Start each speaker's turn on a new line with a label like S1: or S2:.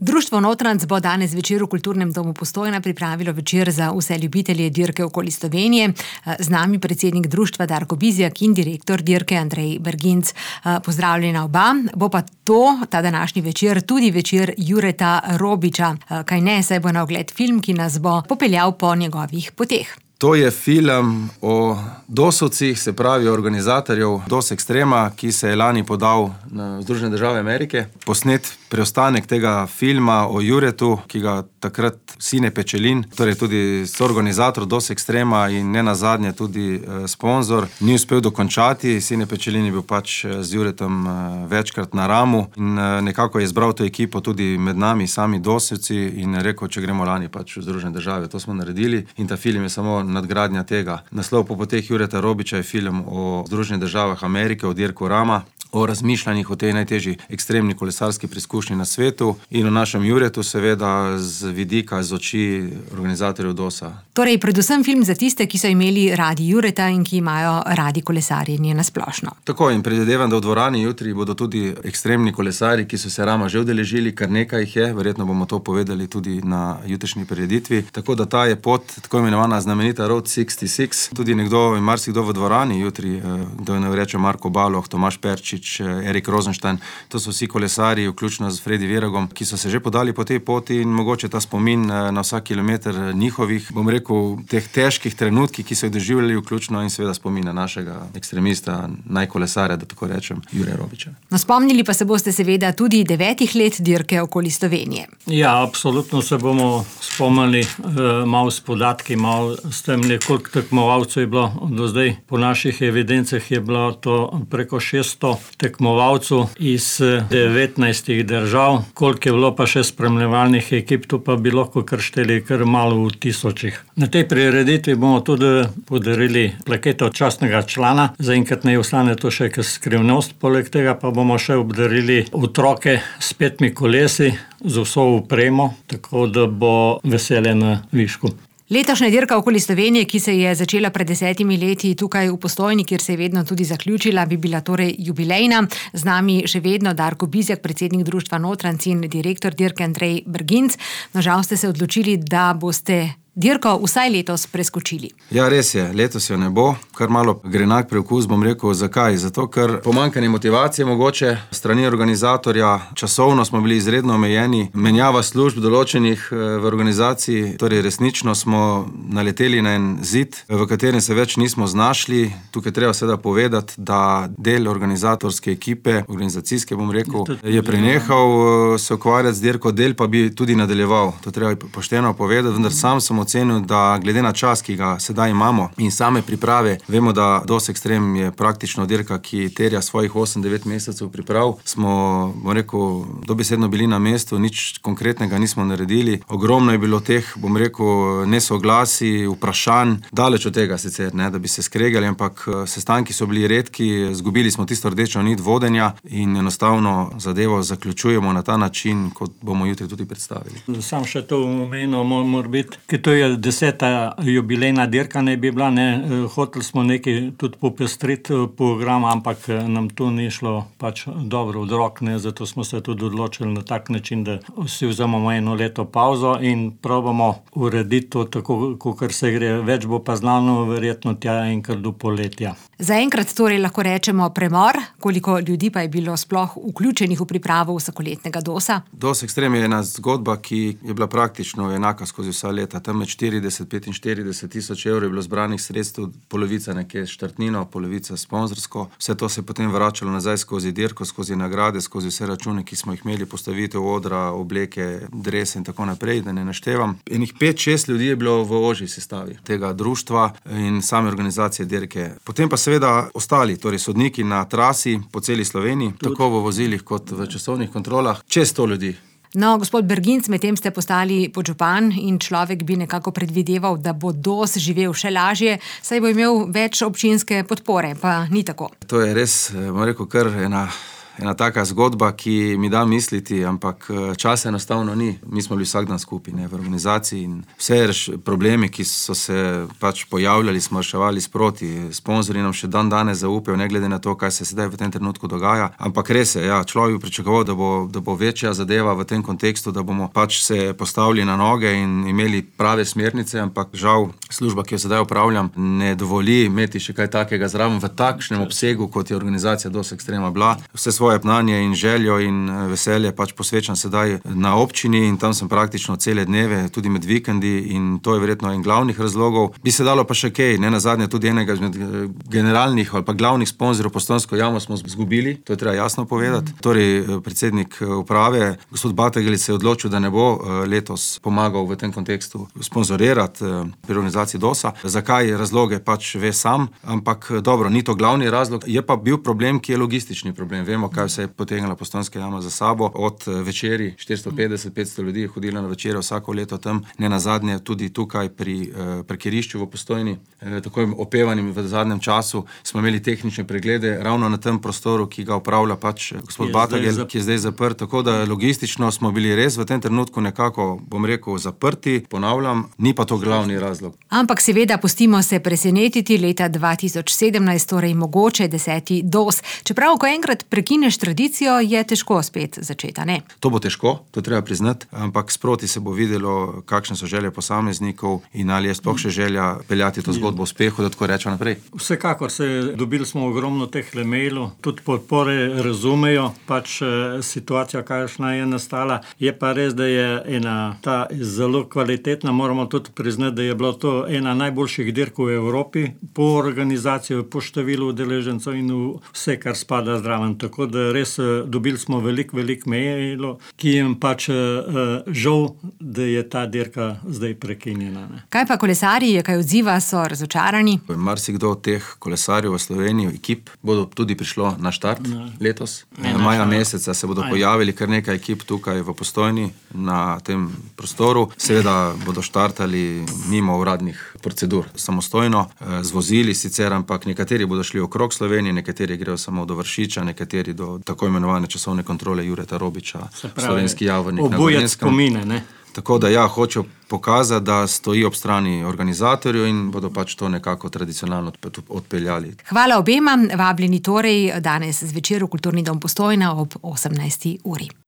S1: Društvo Notranc bo danes večer v Kulturnem domu Postojna pripravilo večer za vse ljubitelje dirke okoli Slovenije. Z nami predsednik društva Darko Bizjak in direktor dirke Andrej Berginc. Pozdravljena oba. Bo pa ta današnji večer tudi večer Jureta Robiča. Kaj ne, saj bo na ogled film, ki nas bo popeljal po njegovih poteh.
S2: To je film o dosovcih, se pravi organizatorjev DOS Extrema, ki se je lani podal na Združene države Amerike. Posnet preostanek tega filma o Juretu, ki ga takrat Sine Pečelin, torej tudi soorganizator DOS Extrema in ne nazadnje tudi sponzor, ni uspel dokončati. Sine Pečelin je bil pač z Juretom večkrat na ramu in nekako je izbral to ekipo tudi med nami, sami dosovci, in rekel, če gremo lani pač v Združene države. To smo naredili in ta film je samo nadgradnja tega. Naslov Po poteh Jureta Robiča je film o Združenih državah Amerike, o dirku Rama, o razmišljanjih o tej najtežji ekstremni kolesarski preizkušnji na svetu in o našem Juretu, seveda z vidika, z oči organizatorjev DOS-a.
S1: Torej, predvsem film za tiste, ki so imeli radi Jureta in ki imajo radi kolesarjenje na splošno.
S2: Tako, in predvidevam, da v dvorani jutri bodo tudi ekstremni kolesari, ki so se Rama že udeležili, kar nekaj jih je, verjetno bomo to povedali tudi na jutrišnji prireditvi. Tako da ta je pot, tako imenovana znamenita Road 66. Tudi nekdo, marsikdo v dvorani jutri, kdo ne reče Marko Baloh, Tomaž Perčič, Erik Rosenstein, to so vsi kolesarji, vključno z Fredi Viragom, ki so se že podali po tej poti in mogoče ta spomin na vsak kilometer njihovih, bom rekel, teh težkih trenutkih, ki so jih doživljali, vključno in seveda spomina našega ekstremista, najkolesarja, da tako rečem, Jure Robiča.
S1: No, spomnili pa se boste seveda tudi 9 let dirke okoli Slovenije.
S3: Ja, absolutno se bomo spomnili malo s podatki, malo s tem, koliko tekmovalcev je bilo do zdaj. Po naših evidencah je bilo to preko 600 tekmovalcev iz 19 držav, koliko je bilo pa še spremljevalnih ekip, to pa bi lahko kar šteli kar malo v tisočih. Na tej prireditvi bomo tudi podarili plaketo častnega člana, zaenkrat ne ostane to še kot skrivnost, poleg tega pa bomo še obdarili otroke s 5 kolesi, z vso opremo, tako da bo veselje na višku.
S1: Letošnja dirka okoli Slovenije, ki se je začela pred 10 leti tukaj v Postojni, kjer se je vedno tudi zaključila, bi bila torej jubilejna. Z nami še vedno Darko Bizjak, predsednik društva Notranc in direktor dirke Andrej Berginc. No, žal ste se odločili, da boste dirko vsaj letos preskočili.
S2: Ja, res je, letos jo ne bo. Kar malo grenak preokus, bom rekel, zakaj? Zato, ker pomanjkanje motivacije mogoče strani organizatorja, časovno smo bili izredno omejeni, menjava služb določenih v organizaciji, torej resnično smo naleteli na en zid, v katerem se več nismo znašli. Tukaj treba seveda povedati, da del organizatorske ekipe, organizacijske, bom rekel, je prenehal se ukvarjati z dirko, del pa bi tudi nadaljeval. To treba pošteno povedati, vendar sam sem ocenil, da glede na čas, ki ga sedaj imamo in same priprave, vemo, da DOS Extrem je praktično dirka, ki terja svojih 8-9 mesecev priprav. Smo, bom rekel, dobesedno bili na mestu, nič konkretnega nismo naredili. Ogromno je bilo teh, bom rekel, nesoglasi, vprašanj, daleč od tega sicer, ne, da bi se skregali, ampak sestanki so bili redki, zgubili smo tisto rdečo nit vodenja in enostavno zadevo zaključujemo na ta način, kot bomo jutri tudi predstavili.
S3: Sam še to omenil, mora biti, ker to je 10. jubilejna dirka ne bi bila, ne, hoteli smo nekaj tudi popestriti program, ampak nam to ni šlo pač dobro od rok, ne, zato smo se tudi odločili na tak način, da si vzamemo 1 leto pauzo in probamo urediti to tako, kakor se gre. Več bo pa znano verjetno tja enkrat do poletja.
S1: Zaenkrat torej lahko rečemo premor, koliko ljudi pa je bilo sploh vključenih v pripravo vsakoletnega DOS-a?
S2: DOS Extrem je ena zgodba, ki je bila praktično enaka skozi vsa leta. Tam med 40-45 tisoč evrov je bilo zbranih sredstev, polovica nekje štartnino, polovica sponzorsko. Vse to se je potem vračalo nazaj skozi dirko, skozi nagrade, skozi vse račune, ki smo jih imeli, postavitev odra, obleke, drese in tako naprej, da ne naštevam. Enih 5-6 ljudi je bilo v ožji sestavi tega društva in same organizacije dirke. Potem pa seveda ostali, torej sodniki na trasi po celi Sloveniji, tako v vozilih kot v časovnih kontrolah, čez 100 ljudi.
S1: No, gospod Berginc, medtem ste postali podžupan in človek bi nekako predvideval, da bo DOS živel še lažje, saj bo imel več občinske podpore, pa ni tako.
S2: To je res, bom rekel, kar ena ena taka zgodba, ki mi da misliti, ampak časa enostavno ni. Mi smo bili vsak dan skupaj, ne, v organizaciji in vse problemi, ki so se pač pojavljali, smo reševali sproti. Sponzorji nam še dan danes zaupajo, ne glede na to, kaj se sedaj v tem trenutku dogaja. Ampak res je, ja, človek bi pričakoval, da bo večja zadeva v tem kontekstu, da bomo pač se postavili na noge in imeli prave smernice, ampak žal služba, ki jo sedaj upravljam, ne dovoli imeti še kaj takega zraven v takšnem obsegu, kot je organizacija DOS Extrema bila. Vse svoje znanje in željo in veselje pač posvečam sedaj na občini in tam sem praktično cele dneve, tudi med vikendi in to je verjetno en glavnih razlogov. Bi se dalo pa še kaj, ne nazadnje tudi enega izmed generalnih ali pa glavnih sponzorjev Postojnsko jamo smo izgubili, to je treba jasno povedati. Torej, predsednik uprave, gospod Bategel se je odločil, da ne bo letos pomagal v tem kontekstu sponzorirati pri organizaciji DOS-a. Zakaj razloge pač ve sam, ampak dobro, ni to glavni razlog. Je pa bil problem, ki je logistični problem. Vemo, kaj vse je potegnila Postojnska jama za sabo. Od večeri 450-500 ljudi je hodilo na večere vsako leto tam, ne nazadnje tudi tukaj pri parkirišču v Postojni, tako opevanim v zadnjem času, smo imeli tehnične preglede ravno na tem prostoru, ki ga upravlja pač gospod Bategel, ki je zdaj zaprt. Tako da logistično smo bili res v tem trenutku nekako, bom rekel, zaprti, ponavljam, ni pa to glavni razlog.
S1: Ampak seveda pustimo se presenetiti, leta 2017, torej mogoče 10. DOS. Čeprav, ko enkrat prekineš tradicijo, je težko spet začeti, ne?
S2: To bo težko, to treba priznati, ampak sproti se bo videlo, kakšne so želje posameznikov in ali je sploh še želja peljati to zgodbo v uspehu, da tako rečem naprej.
S3: Vsekakor dobili smo ogromno teh mailov, tudi podpore razumejo, pač situacija, kakšna je nastala. Je pa res, da je ena ta zelo kvalitetna, moramo tudi priznati, da je bilo to ena najboljših dirk v Evropi, po organizaciji, po številu udeležencev in vse, kar spada zraven. Tako da res dobili smo veliko mailov, ki jim pač žal, da je ta dirka zdaj prekinjena. Ne.
S1: Kaj pa kolesarji, kaj odziva, so razočarani?
S2: Marsikdo od teh kolesarjev v Sloveniji, ekip, bodo tudi prišlo na štart letos. Maja meseca se bodo pojavili kar nekaj ekip tukaj v Postojni na tem prostoru. Seveda bodo štartali mimo uradnih procedur, samostojno, z vozili sicer, ampak nekateri bodo šli okrog Slovenije, nekateri grejo samo do Vršiča, nekateri do tako imenovane časovne kontrole Jureta Robiča, Slovenski Javornik na Gorenjskem.
S3: Spomine, ne?
S2: Tako da ja, hočejo pokazati, da stoji ob strani organizatorju in bodo pač to nekako tradicionalno odpeljali.
S1: Hvala obema, vabljeni torej danes zvečer v Kulturni dom Postojna ob 18. uri.